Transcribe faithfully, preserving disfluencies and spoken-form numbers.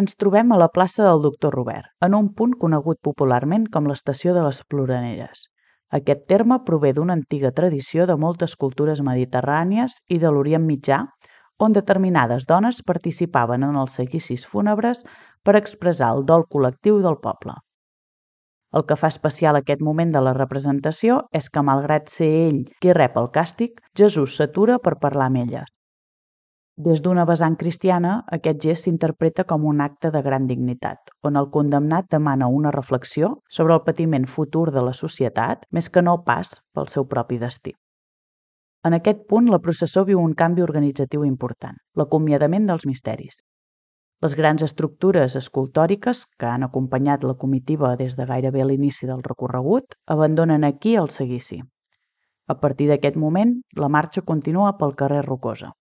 Ens trobem a la plaça del Doctor Robert, en un punt conegut popularment com l'Estació de les Ploraneres. Aquest terme prové d'una antiga tradició de moltes cultures mediterrànies i de l'Orient Mitjà, on determinades dones participaven en els seguicis fúnebres per expressar el dol col·lectiu del poble. El que fa especial aquest moment de la representació és que, malgrat ser ell qui rep el càstig, Jesús s'atura per parlar amb elles. Des d'una vessant cristiana, aquest gest s'interpreta com un acte de gran dignitat, on el condemnat demana una reflexió sobre el patiment futur de la societat, més que no pas pel seu propi destí. En aquest punt, la processó viu un canvi organitzatiu important, l'acomiadament dels misteris. Les grans estructures escultòriques que han acompanyat la comitiva des de gairebé l'inici del recorregut abandonen aquí el seguici. A partir d'aquest moment, la marxa continua pel carrer Rocosa.